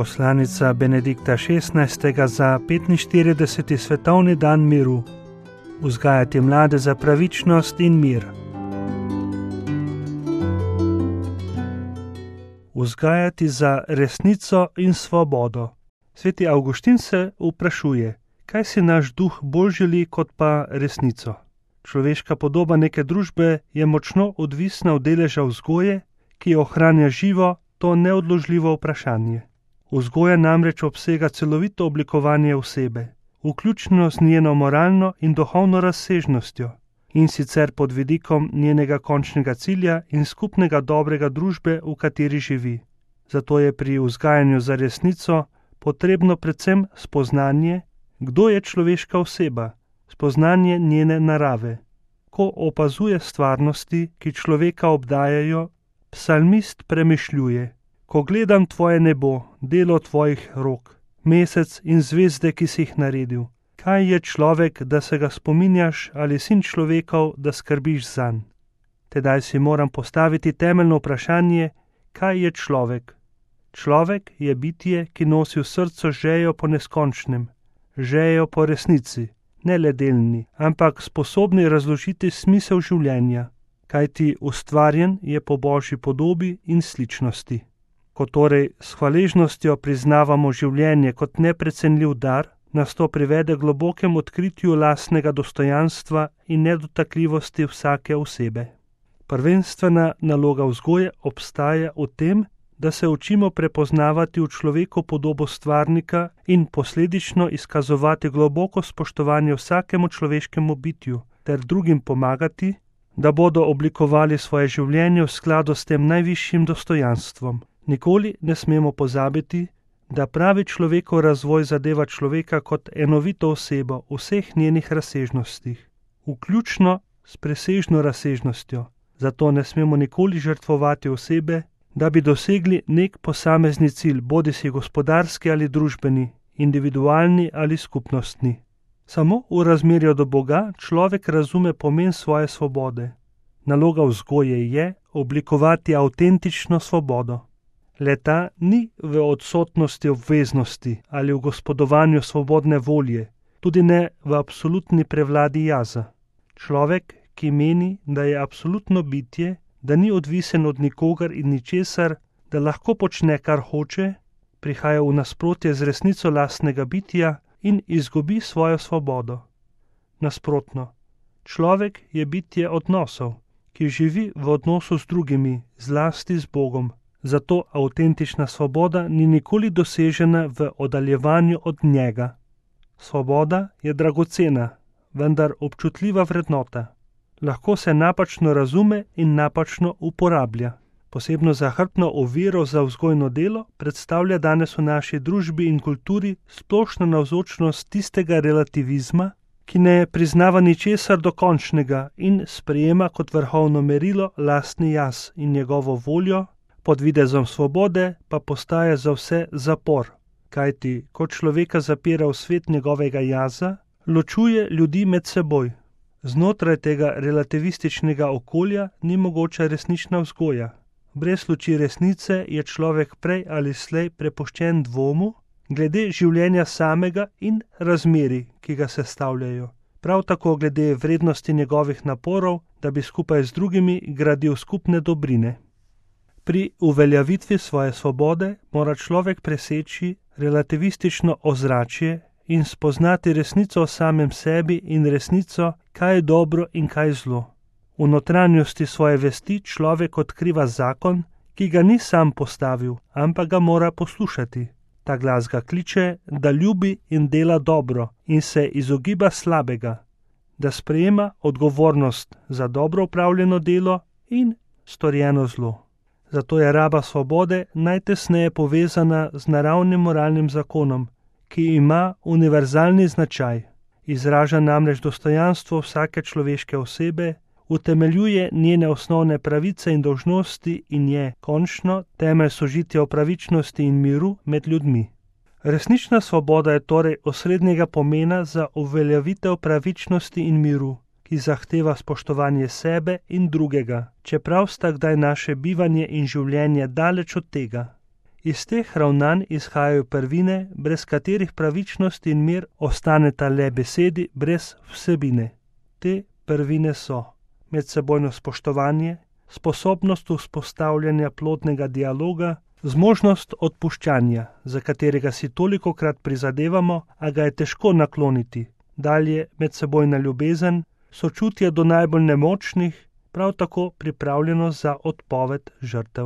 Poslanica Benedikta XVI. Za 45. svetovni dan miru. Vzgajati mlade za pravičnost in mir. Vzgajati za resnico in svobodo. Sveti Avguštin se vprašuje, kaj si naš duh bolj želi kot pa resnico. Človeška podoba neke družbe je močno odvisna od deleža vzgoje, ki ohranja živo to neodložljivo vprašanje. Vzgoja namreč obsega celovito oblikovanje osebe, vključno z njeno moralno in duhovno razsežnostjo, in sicer pod vidikom njenega končnega cilja in skupnega dobrega družbe, v kateri živi. Zato je pri vzgajanju za resnico potrebno predvsem spoznanje, kdo je človeška oseba, spoznanje njene narave. Ko opazuje stvarnosti, ki človeka obdajajo, psalmist premišljuje: ko gledam tvoje nebo, delo tvojih rok, mesec in zvezde, ki si jih naredil, kaj je človek, da se ga spominjaš, ali sin človekov, da skrbiš zanj? Tedaj si moram postaviti temeljno vprašanje, kaj je človek? Človek je bitje, ki nosi v srcu žejo po neskončnem, žejo po resnici, ne le delni, ampak sposobni razložiti smisel življenja, kajti ustvarjen je po Božji podobi in sličnosti. Ko torej s hvaležnostjo priznavamo življenje kot neprecenljiv dar, nas to privede globokemu odkritju lastnega dostojanstva in nedotakljivosti vsake osebe. Prvenstvena naloga vzgoje obstaja v tem, da se učimo prepoznavati v človeku podobo stvarnika in posledično izkazovati globoko spoštovanje vsakemu človeškemu bitju ter drugim pomagati, da bodo oblikovali svoje življenje v skladu s tem najvišjim dostojanstvom. Nikoli ne smemo pozabiti, da pravi človekov razvoj zadeva človeka kot enovito osebo v vseh njenih razsežnostih, vključno s presežno razsežnostjo. Zato ne smemo nikoli žrtvovati osebe, da bi dosegli nek posamezni cilj, bodisi gospodarski ali družbeni, individualni ali skupnostni. Samo v razmerju do Boga človek razume pomen svoje svobode. Naloga vzgoje je oblikovati avtentično svobodo. Le-ta ni v odsotnosti obveznosti ali v gospodovanju svobodne volje, tudi ne v absolutni prevladi jaza. Človek, ki meni, da je absolutno bitje, da ni odvisen od nikogar in ničesar, da lahko počne, kar hoče, prihaja v nasprotje z resnico lastnega bitja in izgubi svojo svobodo. Nasprotno, človek je bitje odnosov, ki živi v odnosu z drugimi, zlasti z Bogom. Zato avtentična svoboda ni nikoli dosežena v oddaljevanju od njega. Svoboda je dragocena, vendar občutljiva vrednota. Lahko se napačno razume in napačno uporablja. Posebno zahrbtno oviro za vzgojno delo predstavlja danes v naši družbi in kulturi splošna navzočnost tistega relativizma, ki ne priznava ničesar dokončnega in sprejema kot vrhovno merilo lastni jaz in njegovo voljo, pod videzom svobode pa postaja za vse zapor, kajti ko človeka zapira v svet njegovega jaza, ločuje ljudi med seboj. Znotraj tega relativističnega okolja ni mogoča resnična vzgoja. Brez luči resnice je človek prej ali slej prepuščen dvomu glede življenja samega in razmerij, ki ga sestavljajo. Prav tako glede vrednosti njegovih naporov, da bi skupaj z drugimi gradil skupne dobrine. Pri uveljavitvi svoje svobode mora človek preseči relativistično ozračje in spoznati resnico o samem sebi in resnico, kaj je dobro in kaj zlo. V notranjosti svoje vesti človek odkriva zakon, ki ga ni sam postavil, ampak ga mora poslušati. Ta glas ga kliče, da ljubi in dela dobro in se izogiba slabega, da sprejema odgovornost za dobro upravljeno delo in storjeno zlo. Zato je raba svobode najtesneje povezana z naravnim moralnim zakonom, ki ima univerzalni značaj. Izraža namreč dostojanstvo vsake človeške osebe, utemeljuje njene osnovne pravice in dolžnosti in je, končno, temelj sožitja o pravičnosti in miru med ljudmi. Resnična svoboda je torej osrednjega pomena za uveljavitev pravičnosti in miru, ki zahteva spoštovanje sebe in drugega, čeprav sta kdaj naše bivanje in življenje daleč od tega. Iz teh ravnanj izhajajo prvine, brez katerih pravičnost in mir ostaneta le besedi brez vsebine. Te prvine so medsebojno spoštovanje, sposobnost vzpostavljanja plodnega dialoga, zmožnost odpuščanja, za katerega si tolikokrat prizadevamo, a ga je težko nakloniti, dalje medsebojna ljubezen, sočutje do najbolj nemočnih, prav tako pripravljenost za odpoved žrtev.